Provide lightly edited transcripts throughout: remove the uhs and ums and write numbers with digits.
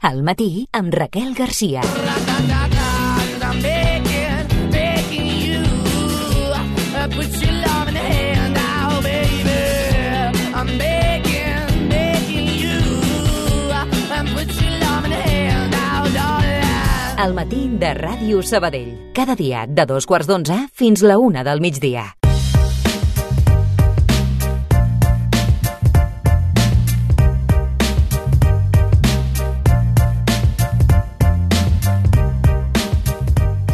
Al matí amb Raquel Garcia. Al matí de Ràdio Sabadell. Cada dia de 2:15 fins la 1 del migdia.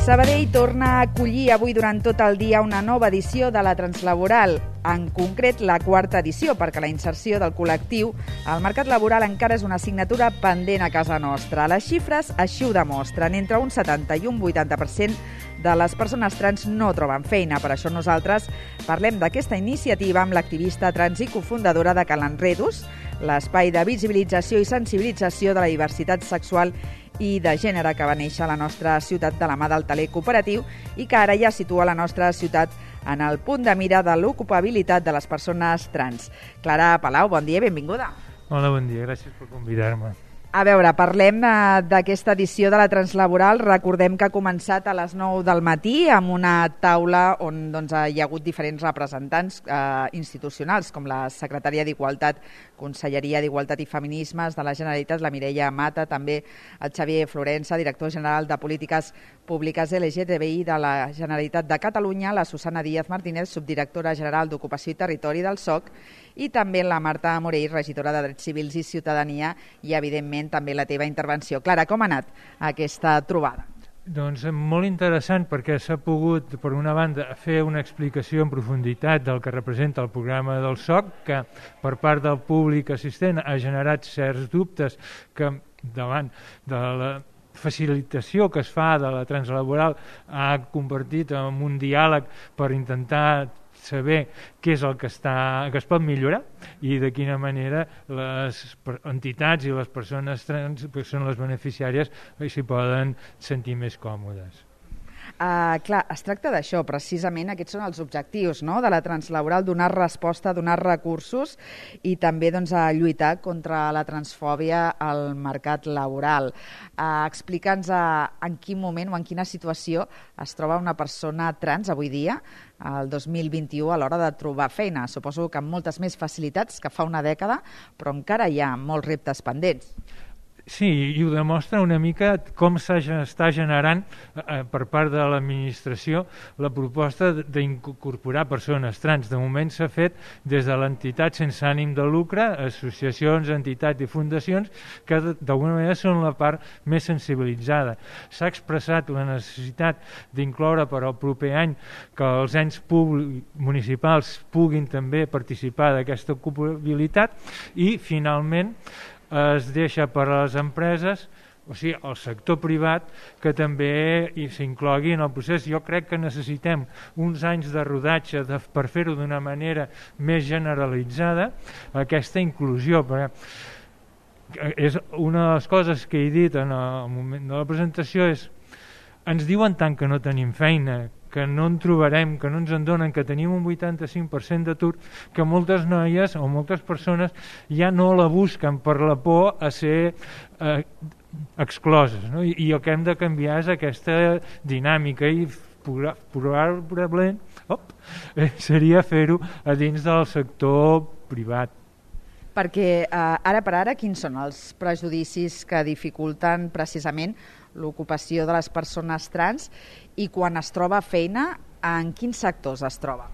Sabadell torna a acollir avui durant tot el dia una nova edició de la Translaboral, en concret la quarta edició, perquè la inserció del col·lectiu al mercat laboral encara és una assignatura pendent a casa nostra. Les xifres així ho demostren. Entre un 70 i un 80% de les persones trans no troben feina. Per això nosaltres parlem d'aquesta iniciativa amb l'activista trans i cofundadora de Cal Enredus, l'espai de visibilització i sensibilització de la diversitat sexual i de gènere que va néixer a la nostra ciutat de la mà del Taler Cooperatiu i que ara ja situa la nostra ciutat en el punt de mira de l'ocupabilitat de les persones trans. Clara Palau, bon dia i benvinguda. Hola, bon dia, gràcies per convidar-me. A veure, parlem d'aquesta edició de la Translaboral. Recordem que ha començat a les 9 del matí amb una taula on hi ha hagut diferents representants institucionals, com la secretària d'Igualtat, Conselleria d'Igualtat i Feminismes de la Generalitat, la Mireia Mata, també el Xavier Florença, director general de Polítiques Públiques LGTBI de la Generalitat de Catalunya, la Susana Díaz Martínez, subdirectora general d'Ocupació i Territori del SOC, i també la Marta Morell, regidora de Drets Civils i Ciutadania, i evidentment també la teva intervenció. Clara, com ha anat aquesta trobada? Doncs molt interessant, perquè s'ha pogut, per una banda, fer una explicació en profunditat del que representa el programa del SOC, que per part del públic assistent ha generat certs dubtes que davant de la facilitació que es fa de la translaboral ha convertit en un diàleg per intentar saber què és el que es pot millorar i de quina manera les entitats i les persones trans, que són les beneficiàries, s'hi poden sentir més còmodes. Clar, es tracta d'això, precisament aquests són els objectius, no?, de la translaboral, donar resposta, donar recursos i també a lluitar contra la transfòbia al mercat laboral. Explica'ns en quin moment o en quina situació es troba una persona trans avui dia, el 2021, a l'hora de trobar feina. Suposo que amb moltes més facilitats que fa una dècada, però encara hi ha molts reptes pendents. Sí, i ho demostra una mica com s'està generant per part de l'administració la proposta d'incorporar persones trans. De moment s'ha fet des de l'entitat sense ànim de lucre, associacions, entitats i fundacions, que d'alguna manera són la part més sensibilitzada. S'ha expressat la necessitat d'incloure per al proper any que els ens municipals puguin també participar d'aquesta ocupabilitat i, finalment, es deixa per a les empreses, o sigui, el sector privat, que també s'inclogui en el procés. Jo crec que necessitem uns anys de rodatge per fer-ho d'una manera més generalitzada, aquesta inclusió. És una de les coses que he dit en el moment de la presentació és: ens diuen tant que no tenim feina, que no en trobarem, que no ens en donen, que tenim un 85% d'atur, que moltes noies o moltes persones ja no la busquen per la por a ser excloses, no? I el que hem de canviar és aquesta dinàmica i probablement seria fer-ho a dins del sector privat. Perquè ara per ara quins són els prejudicis que dificulten precisament l'ocupació de les persones trans i quan es troba feina, en quins sectors es troba?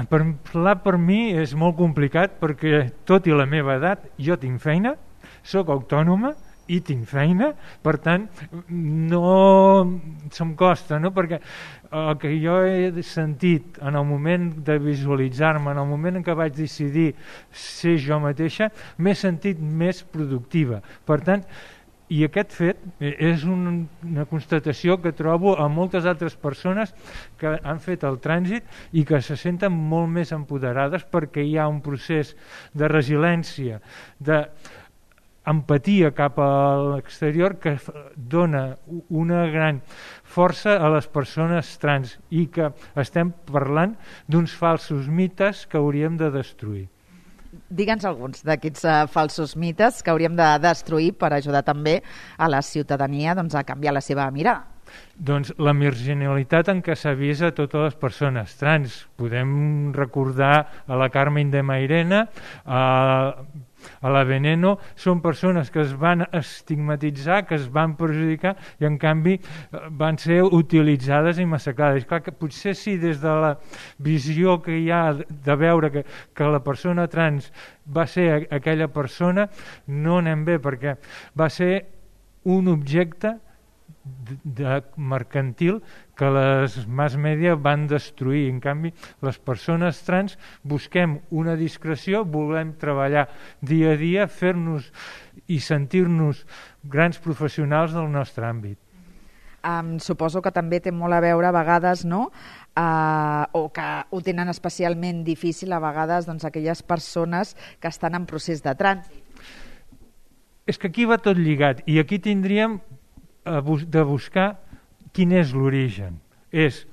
Parlar per mi és molt complicat perquè tot i la meva edat jo tinc feina, sóc autònoma i tinc feina, per tant no se'm costa, no? Perquè el que jo he sentit en el moment de visualitzar-me, en el moment en què vaig decidir ser jo mateixa, m'he sentit més productiva. Per tant, i aquest fet és una constatació que trobo a moltes altres persones que han fet el trànsit i que se senten molt més empoderades perquè hi ha un procés de resiliència, d'empatia cap a l'exterior que dona una gran força a les persones trans i que estem parlant d'uns falsos mites que hauríem de destruir. Digue'ns alguns d'aquests falsos mites que hauríem de destruir per ajudar també a la ciutadania a canviar la seva mirada. Doncs la marginalitat en què s'ha vist a totes les persones trans. Podem recordar a la Carmen de Mairena, a la Veneno, són persones que es van estigmatitzar, que es van perjudicar i en canvi van ser utilitzades i massacrades. Clar que potser sí, des de la visió que hi ha de veure que la persona trans va ser aquella persona, no anem bé, perquè va ser un objecte mercantil que les mass media van destruir. En canvi, les persones trans busquem una discreció, volem treballar dia a dia, fer-nos i sentir-nos grans professionals del nostre àmbit. Suposo que també té molt a veure a vegades, no?, o que ho tenen especialment difícil a vegades aquelles persones que estan en procés de trànsit. És que aquí va tot lligat i aquí tindríem de buscar quin és l'origen. És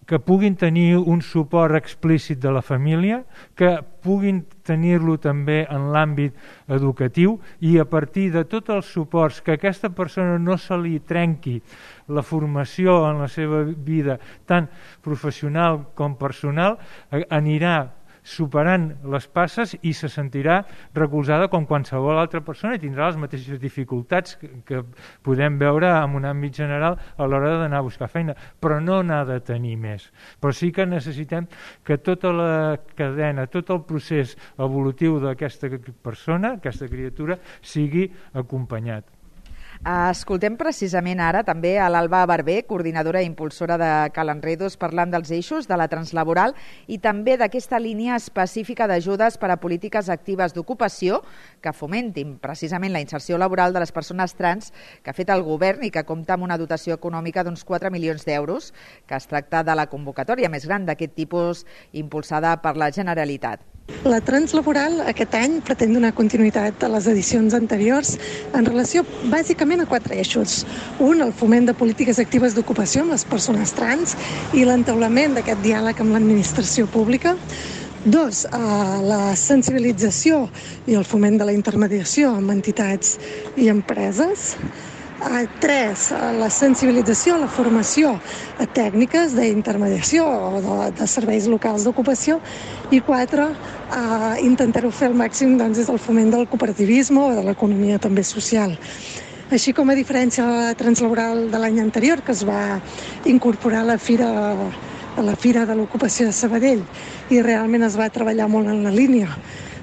que puguin tenir un suport explícit de la família, que puguin tenir-lo també en l'àmbit educatiu i a partir de tots els suports que aquesta persona no se li trenqui la formació en la seva vida tant professional com personal, anirà superant les passes i se sentirà recolzada com qualsevol altra persona i tindrà les mateixes dificultats que podem veure en un àmbit general a l'hora d'anar a buscar feina, però no n'ha de tenir més. Però sí que necessitem que tota la cadena, tot el procés evolutiu d'aquesta persona, aquesta criatura, sigui acompanyat. Escoltem precisament ara també a l'Alba Barber, coordinadora i impulsora de Cal Enredos, parlant dels eixos de la translaboral i també d'aquesta línia específica d'ajudes per a polítiques actives d'ocupació que fomentin precisament la inserció laboral de les persones trans que ha fet el govern i que compta amb una dotació econòmica d'uns 4 milions d'euros, que es tracta de la convocatòria més gran d'aquest tipus impulsada per la Generalitat. La translaboral aquest any pretén donar continuïtat a les edicions anteriors en relació bàsicament a 4 eixos. Un, el foment de polítiques actives d'ocupació amb les persones trans i l'entaulament d'aquest diàleg amb l'administració pública. 2, la sensibilització i el foment de la intermediació amb entitats i empreses. 3, la sensibilització, la formació a tècniques d'intermediació o de serveis locals d'ocupació. I 4, intentar-ho fer al màxim des del foment del cooperativisme o de l'economia també social. Així com a diferència de la translaboral de l'any anterior, que es va incorporar a la Fira de l'Ocupació de Sabadell i realment es va treballar molt en la línia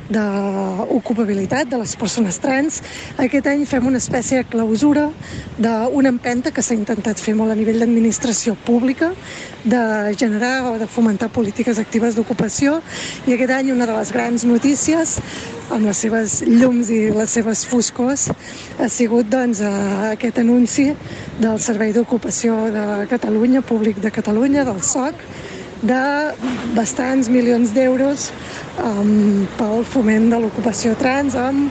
d'ocupabilitat de les persones trans, aquest any fem una espècie de clausura d'una empenta que s'ha intentat fer molt a nivell d'administració pública, de generar o de fomentar polítiques actives d'ocupació, i aquest any una de les grans notícies, amb les seves llums i les seves foscors, ha sigut aquest anunci del Servei d'Ocupació de Catalunya, Públic de Catalunya, del SOC, de bastants milions d'euros pel foment de l'ocupació trans amb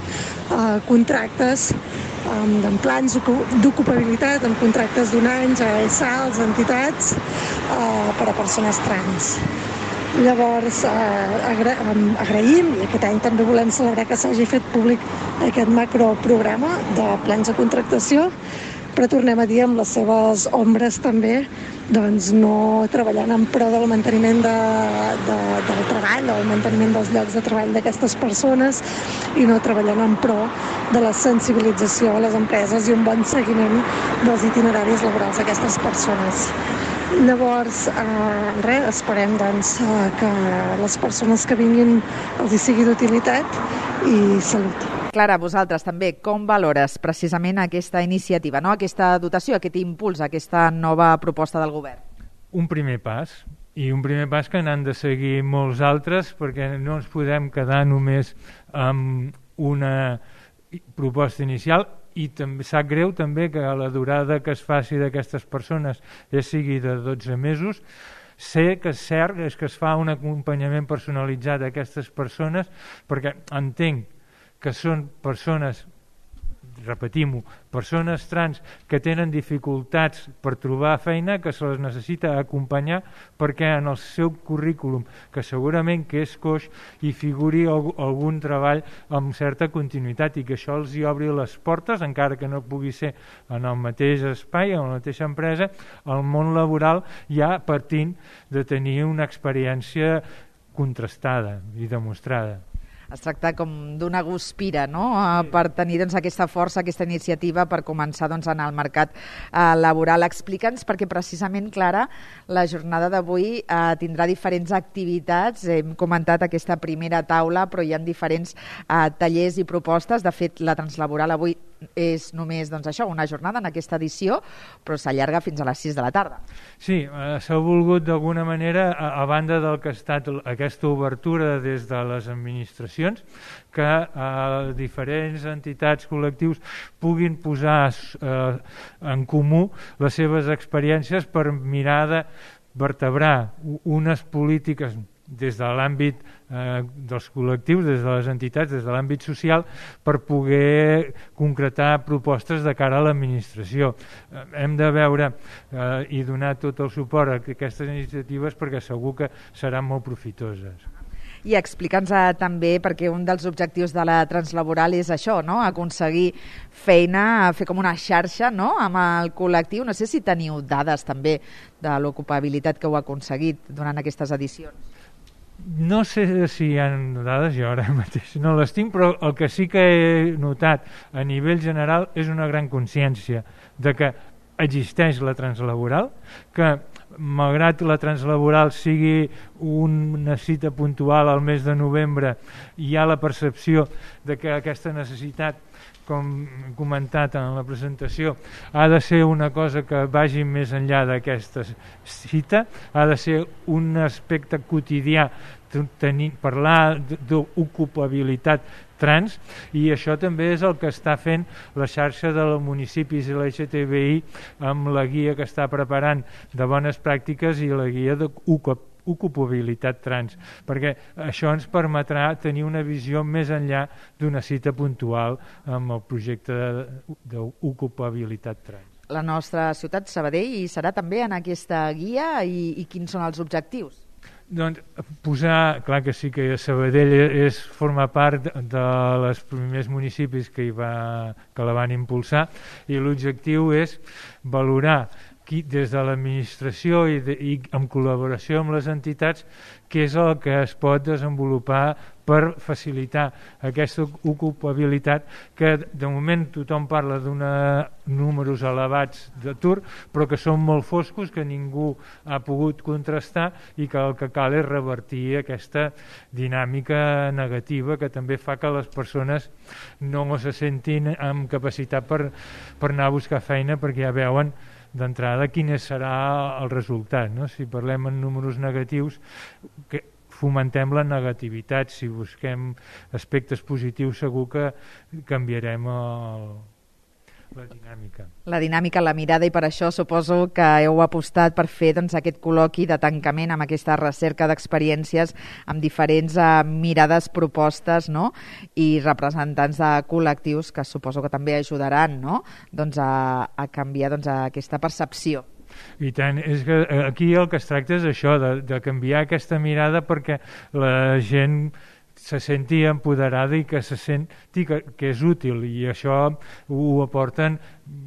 contractes, amb plans d'ocupabilitat, amb contractes d'un any a ESALs, entitats, per a persones trans. Llavors, agraïm, i aquest any també volem celebrar que s'hagi fet públic aquest macroprograma de plans de contractació, però tornem a dir amb les seves ombres també, no treballant en pro del manteniment del treball, del manteniment dels llocs de treball d'aquestes persones i no treballant en pro de la sensibilització a les empreses i un bon seguiment dels itineraris laborals d'aquestes persones. Llavors, esperem que les persones que vinguin els hi sigui d'utilitat i salut. Clara, vosaltres també, com valores precisament aquesta iniciativa, no? Aquesta dotació, aquest impuls, aquesta nova proposta del govern? Un primer pas, i un primer pas que n'han de seguir molts altres, perquè no ens podem quedar només amb una proposta inicial, i també sap greu també que la durada que es faci d'aquestes persones sigui de 12 mesos. Sé que és cert que es fa un acompanyament personalitzat a aquestes persones, perquè entenc que són persones repetim-ho, persones trans que tenen dificultats per trobar feina, que se les necessita acompanyar perquè en el seu currículum, que segurament que és coix, hi figuri algun treball amb certa continuïtat i que això els hi obri les portes, encara que no pugui ser en el mateix espai, en la mateixa empresa, al món laboral ja partint de tenir una experiència contrastada i demostrada. Es tracta com d'una guspira, no?, per tenir aquesta força, aquesta iniciativa per començar en el mercat laboral. Explica'ns, perquè precisament, Clara, la jornada d'avui tindrà diferents activitats. Hem comentat aquesta primera taula, però hi ha diferents tallers i propostes. De fet, la Translaboral avui és només això, una jornada en aquesta edició, però s'allarga fins a les 6 de la tarda. Sí, s'ha volgut d'alguna manera, a banda del que ha estat aquesta obertura des de les administracions, que diferents entitats, col·lectius puguin posar en comú les seves experiències per mirar de vertebrar unes polítiques des de l'àmbit dels col·lectius, des de les entitats, des de l'àmbit social, per poder concretar propostes de cara a l'administració. Hem de veure i donar tot el suport a aquestes iniciatives perquè segur que seran molt profitoses. I explica'ns també, perquè un dels objectius de la Translaboral és això, no?, aconseguir feina, fer com una xarxa, no?, amb el col·lectiu. No sé si teniu dades també de l'ocupabilitat que heu aconseguit durant aquestes edicions. No sé si hi ha dades, jo ara mateix no les tinc, però el que sí que he notat a nivell general és una gran consciència de que existeix la Translaboral, que malgrat la Translaboral sigui una cita puntual al mes de novembre, hi ha la percepció de que aquesta necessitat, com he comentat en la presentació, ha de ser una cosa que vagi més enllà d'aquesta cita, ha de ser un aspecte quotidià, parlar d'ocupabilitat trans, i això també és el que està fent la xarxa de municipis i l'LGTBI amb la guia que està preparant de bones pràctiques i la guia d'ocupabilitat trans, perquè això ens permetrà tenir una visió més enllà d'una cita puntual amb el projecte d'ocupabilitat trans. La nostra ciutat, Sabadell, hi serà també en aquesta guia i quins són els objectius? Doncs posar, clar que sí que Sabadell forma part dels primers municipis que la van impulsar, i l'objectiu és valorar des de l'administració i en col·laboració amb les entitats què és el que es pot desenvolupar per facilitar aquesta ocupabilitat, que de moment tothom parla d'uns números elevats d'atur, però que són molt foscos, que ningú ha pogut contrastar, i que el que cal és revertir aquesta dinàmica negativa que també fa que les persones no se sentin amb capacitat per anar a buscar feina, perquè ja veuen d'entrada quin serà el resultat, no? Si parlem en números negatius, que fomentem la negativitat. Si busquem aspectes positius, segur que canviarem la dinàmica. La dinàmica, la mirada, i per això suposo que heu apostat per fer aquest col·loqui de tancament amb aquesta recerca d'experiències amb diferents mirades, propostes, no?, i representants de col·lectius que suposo que també ajudaran, no?, a canviar aquesta percepció. I tant, és que aquí el que es tracta és això, de canviar aquesta mirada perquè la gent se senti empoderada i que se senti que és útil, i això ho aporten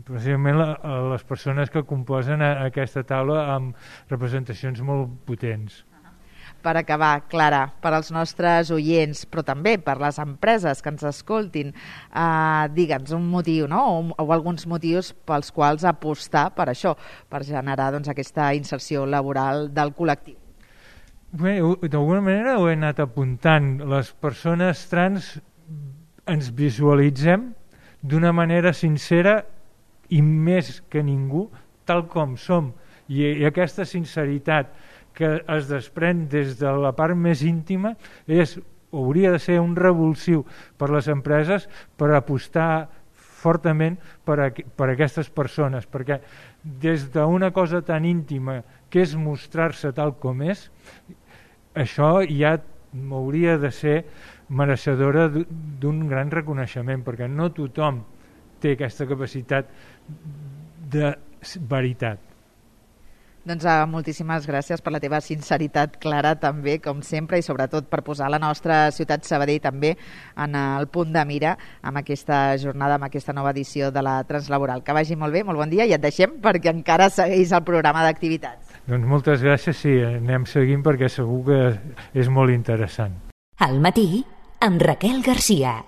precisament les persones que composen aquesta taula amb representacions molt potents. Per acabar, Clara, per als nostres oients, però també per les empreses que ens escoltin, digue'ns un motiu, no?, o alguns motius pels quals apostar per això, per generar aquesta inserció laboral del col·lectiu. Bé, d'alguna manera ho he anat apuntant. Les persones trans ens visualitzem d'una manera sincera i més que ningú, tal com som. I aquesta sinceritat que es desprèn des de la part més íntima hauria de ser un revulsiu per les empreses per apostar fortament per aquestes persones, perquè des d'una cosa tan íntima que és mostrar-se tal com és, això ja hauria de ser mereixedora d'un gran reconeixement, perquè no tothom té aquesta capacitat de veritat. Doncs moltíssimes gràcies per la teva sinceritat, Clara, també, com sempre, i sobretot per posar la nostra ciutat Sabadell també en el punt de mira amb aquesta jornada, amb aquesta nova edició de la Translaboral. Que vagi molt bé, molt bon dia, i et deixem perquè encara segueix el programa d'activitats. Doncs moltes gràcies, sí, anem seguint perquè segur que és molt interessant. Al matí, amb Raquel Garcia.